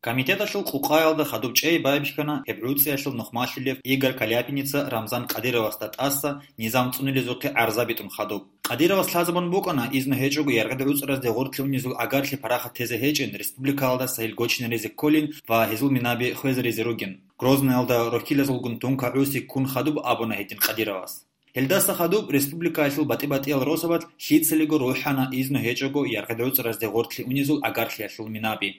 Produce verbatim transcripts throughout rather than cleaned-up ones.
Комитеталъул къукъаялда хадуб чӀей байбихьана гьеб гӀуцӀиялъул нухмалъулев Игорь Каляпиница Рамзан Кадыровасда тӀаса низам цӀунулезухъе гӀарза битӀун хадуб. Кадыровас лъазабун букӀана, изну гьечӀого яргъид гӀуцӀразде гъоркье унезул агарлъи парахат тезе гьечӀин, республикаялдаса гьел гочинаризе кколин ва гьезул минаби хвезаризе ругин. Грозныялда рохьилазулгун тункагӀуси ккун хадуб абуна гьедин Кадыровас. Гьелдаса хадуб республикаялъул батӀи-батӀиял росабалъ лъицалиго рухӀана изну гьечӀого яргъид гӀуцӀразде гъоркье унезул агарлъиялъул минаби.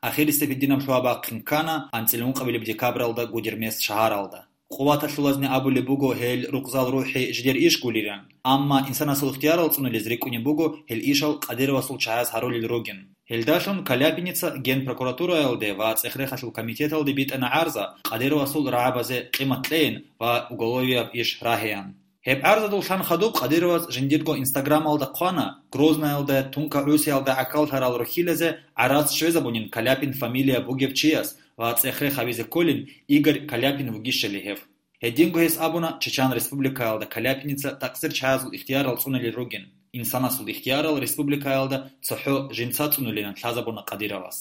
Ахирисеб гьединаб лъугьа-бахъин ккана анцӀила ункъабилеб декабралда Гудермес шагьаралда. Къуваталъулазни абулеб буго гьел рукъзал рухӀи жидер иш гулилан, амма инсанасул ихтиярал цӀунулез рикӀкӀунеб буго гьел ишал Кадыровасул чагӀаз гьарулел ругин. Гьелдалъун Каляпиница Генпрокуратураялде ва ЦӀех-рехалъул комитеталде битӀана гӀарза Кадыровасул рагӀабазе къимат кьейин ва уголовияб иш рагьеян. Гьеб гӀарзадуллъан хадуб Кадыровас жиндирго Инстаграмалда хъвана, Грознаялда тункагӀусиялда гӀахьаллъарал рохьилазе гӀарац щвезабунин Каляпин фамилия бугев чияс ва цӀех-рех гьабизе кколин Игорь Каляпин вугищали гьев. Гьединго гьес абуна Чечан Республикаялда Каляпиница такъсир чагӀазул ихтиярал цӀунулел ругин, инсанасул ихтиярал республикаялда цохӀо жинца цӀунулилан лъазабуна Кадыровас.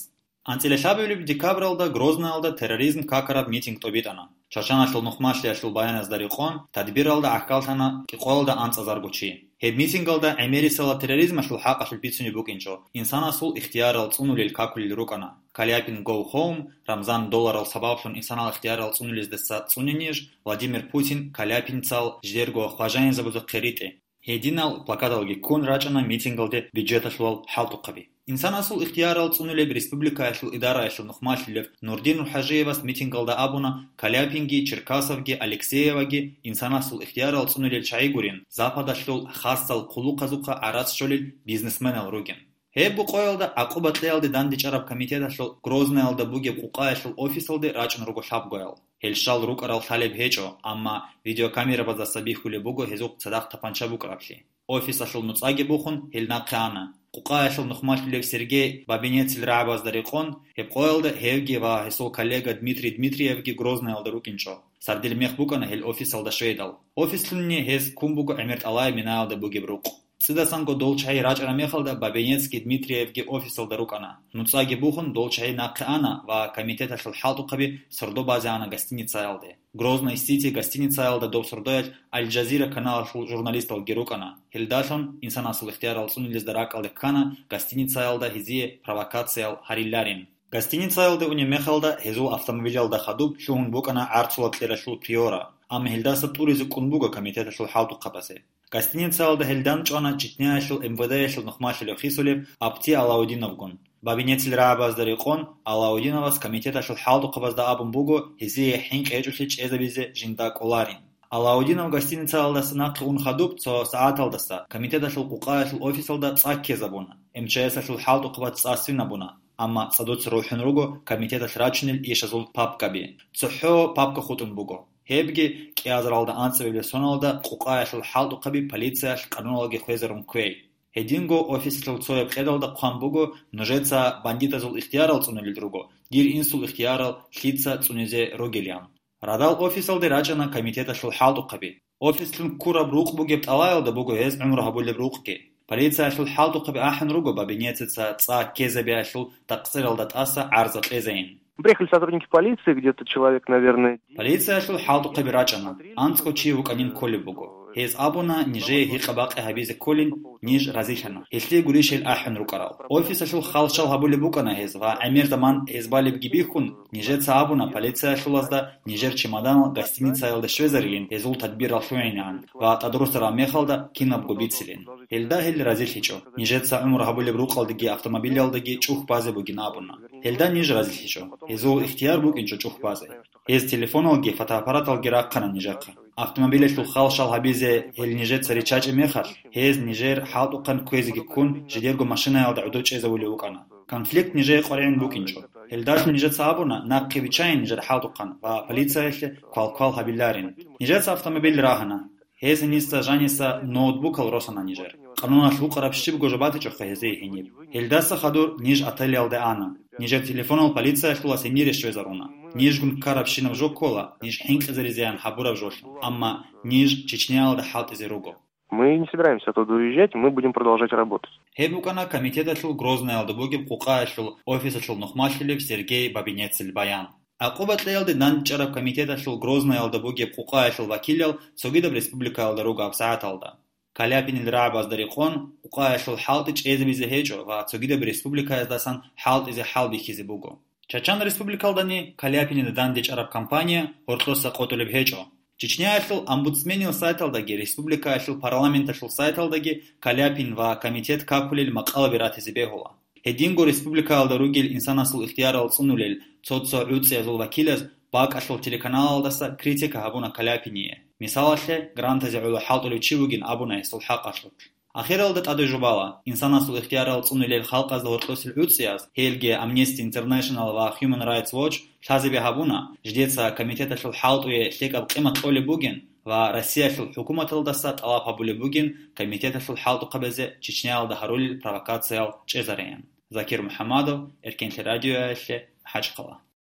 АнцӀила лъабабилеб декабралда Грознаялда терроризм какараб митинг тӀобитӀана. Чачаналъул нухмалъиялъул баяназда рекъон, тадбиралда гӀахьаллъана кӀикъоялда анцӀазарго чи. Гьеб митингалда гӀемерисела терроризмалъул хӀакъалъулъ бицунеб букӀинчӀо, инсанасул ихтиярал цӀунулел какулел рукӀана. Каляпин Go Home, Рамзан долларал сабаблъун инсанал ихтиярал цӀунулездаса цӀуне ниж, Владимир Путин Каляпинцал жидерго хважаинзабазухъе ритӀе. Гьединал плакаталги ккун рачӀана митингалде бюджеталъулал хӀалтӀухъаби. Инсанасул ихтиярал цӀунулеб республикаялъул идараялъул нухмалъулев Нурдин Рухьажиевас митингалда абуна, Каляпинги, Черкасовги, Алексееваги инсанасул ихтиярал цӀунулел чагӀи гурин, Западалъул хасал хъулухъазухъа гӀарац щолел бизнесменал ругин. Гьеб къоялда гӀакъуба кьеялде дандечӀараб комитеталъул Грознаялда бугеб къукъаялъул офисалде рачӀун руго лъабгоял. Гьел щал рукӀарал лъалеб гьечӀо, амма видеокамерабаздаса бихьулеб буго гьезухъ цадахъ тапанча букӀараблъи. Офисалъул нуцӀаги бухун, гьел нахъе ана. Къукъаялъул нухмалъулев Сергей Бабинецил рагӀабазда рекъон, гьеб къоялда гьевги ва гьесул коллега Дмитрий Дмитриевги Грознаялда рукӀинчӀо. Сардил мех букӀана гьел офисалда щвейдал. Офислъунни гьез ккун буго ГӀемер ТӀалаеб минаялда бугеб рукъ. ЦӀидасанго дол чагӀи рачӀараб мехалда Бабинецги Дмитриевги офисалда рукӀана. НуцӀаги бухун, дол чагӀи нахъе ана ва комитеталъул хӀалтӀухъаби сордо базе ана гостиницаялде. Грозный Сити гостиницаялда доб сордоялъ Аль-Джазира каналалъул журналисталги рукӀана. Гьелдалъун инсанасул ихтиярал цӀунулезда ракӀалде ккана гостиницаялда гьезие провокациял гьариларин. Гостиницаялде унеб мехалда гьезул автомобилялда хадуб лъугьун букӀана гӀарцула кьералъул Приора, амма гьелдаса тӀуризе кӀун буго комитеталъул хӀалтӀухъабазе. Гостиницаялда гьел данчӀвана Чечняялъул МВД-ялъул нухмалъулев хисулев Апти Алаудиновгун. Бабинецил рагӀабазда рекъон, Алаудиновас комитеталъул хӀалтӀухъабазда абун буго гьезие хӀинкъи гьечӀолъи чӀезабизе жинда кӀоларин. Алаудинов гостиницаялдаса нахъе ун хадуб цо сагӀаталдаса комитеталъул къукъаялъул офисалда цӀа ккезабуна, МЧС-алъул хӀалтӀухъабаз цӀа свинабуна, амма цӀадуца рухӀун руго комитеталъ рачунел ишазул папкаби. ЦохӀо папка хутӀун буго. Гьебги кӀиазаралда анцӀабилеб соналда къукъаялъул хӀалтӀухъаби полициялъ къануналги хвезарун кквей. Гьединго офисалъул цояб къедалда хъван буго, нужеца бандитазул ихтиярал цӀунулел руго, дир инсул ихтиярал лъица цӀунизе ругилан. Радал офисалде рачӀана комитеталъул хӀалтӀухъаби. Офислъун ккураб рукъ бугеб тӀалаялда буго гьез гӀумру гьабулеб рукъги. Полициялъул хӀалтӀухъаби ахӀун руго Бабинецаца цӀа ккезабиялъул такъсиралда тӀаса гӀарза кьезайин. Приехали сотрудники полиции, где-то человек, наверное, десять. Полициялъул хӀалтӀухъаби рачӀана. АнцӀго чи вукӀанин кколеб буго. Гьез абуна, нижее гьикъа-бакъи гьабизе кколин, ниж разилъана. Гьелъие гурищ гьел ахӀун рукӀарал. Офисалъул хал-шал гьабулеб букӀана гьез ва гӀемер заман гьез балебги бихьун, нижеца абуна полициялъулазда нижер чемоданал гостиницаялда щвезарилин гьезул тадбирал лъугӀинегӀан ва тӀадрусараб мехалда кинабго бицилин. Гьелда гьел разилъичӀо. Нижеца гӀумру гьабулеб рукъалдаги автомобилалдаги чӀух базе бугин абуна. Гьелда ниж разилъичӀо. Гьезул ихтияр букӀинчӀо чӀух базе. Гьез телефоналги фотоаппараталги рахъана нижехъе. Автомобилалъул хал-шал гьабизе гьел нижеца риччачӀеб мехалъ, гьез нижер хӀалтӀухъан кквезеги ккун, жидерго машинаялда гӀодов чӀезавулев вукӀана. Конфликт нижее къваригӀун букӀинчӀо. Гьелдалъун нижеца абуна, нахъе виччайин нижер хӀалтӀухъан ва полициялъе квалквал гьабиларин. Нижеца автомобиль рагьана. Гьез гьениса жаниса ноутбукал росана нижер. Къануналъ вукъараб щибго жо батичӀоха гьезие гьениб. Гьелдаса хадур ниж отелялде ана. Нижер телефонал полициялъулас гьенире щвезаруна. Нижгун ккарабщинаб жо ккола, ниж хӀинкъизаризеян гьабураб жолъун. Амма ниж Чечняялда хӀалтӀизе руго. Мы не собираемся оттуда уезжать, мы будем продолжать работать. Гьеб букӀана комитеталъул Грознаялда бугеб къукъаялъул офисалъул нухмалъулев Сергей Бабинецил баян. Акъуба кьеялде дандчӀараб комитеталъул Грознаялда бугеб къукъаялъул вакилал цогидаб республикаялда руго гьабсагӀаталда. Каляпинил рагӀабазда рекъон, къукъаялъул хӀалтӀи чӀезабизе гьечӀо ва цогидаб республикаяздасан хӀалтӀизе хӀалбихьизе буго. Чачан республикалдани Каляпинида дандчӀараб кампания гьоркьоса къотӀулеб гьечӀо. Чечняялъул омбудсменил сайталдаги республикаялъул парламенталъул сайталдаги Каляпин ва комитет какулел макъалаби ратизе бегьула. Гьединго республикаялда ругел инсанасул ихтиярал цӀунулел цо-цо гӀуцӀиязул вакилаз бакӀалъул телеканалалдаса критика гьабуна Каляпине. Мисалалъе, грантазе гӀоло хӀалтӀулев чи вугин абуна гьесул хӀакъалъулъ. Ахиралда тӀаде жубала, инсанасул ихтиярал цӀунулел халкъазда гьоркьосел гӀуцӀияз, гьелги Amnesty International ва Human Rights Watch, лъазабе гьабуна, жидеца комитеталъул хӀалтӀуе лъикӀаб къимат кьолеб бугин ва Россиялъул хӀукуматалдаса тӀалаб гьабулеб бугин комитеталъул хӀалтӀухъабазе Чечняялда гьарулел провокациял чӀезареян. Закир МухӀаммадов, Эркенлъи радиоялъе, МахӀачхъала.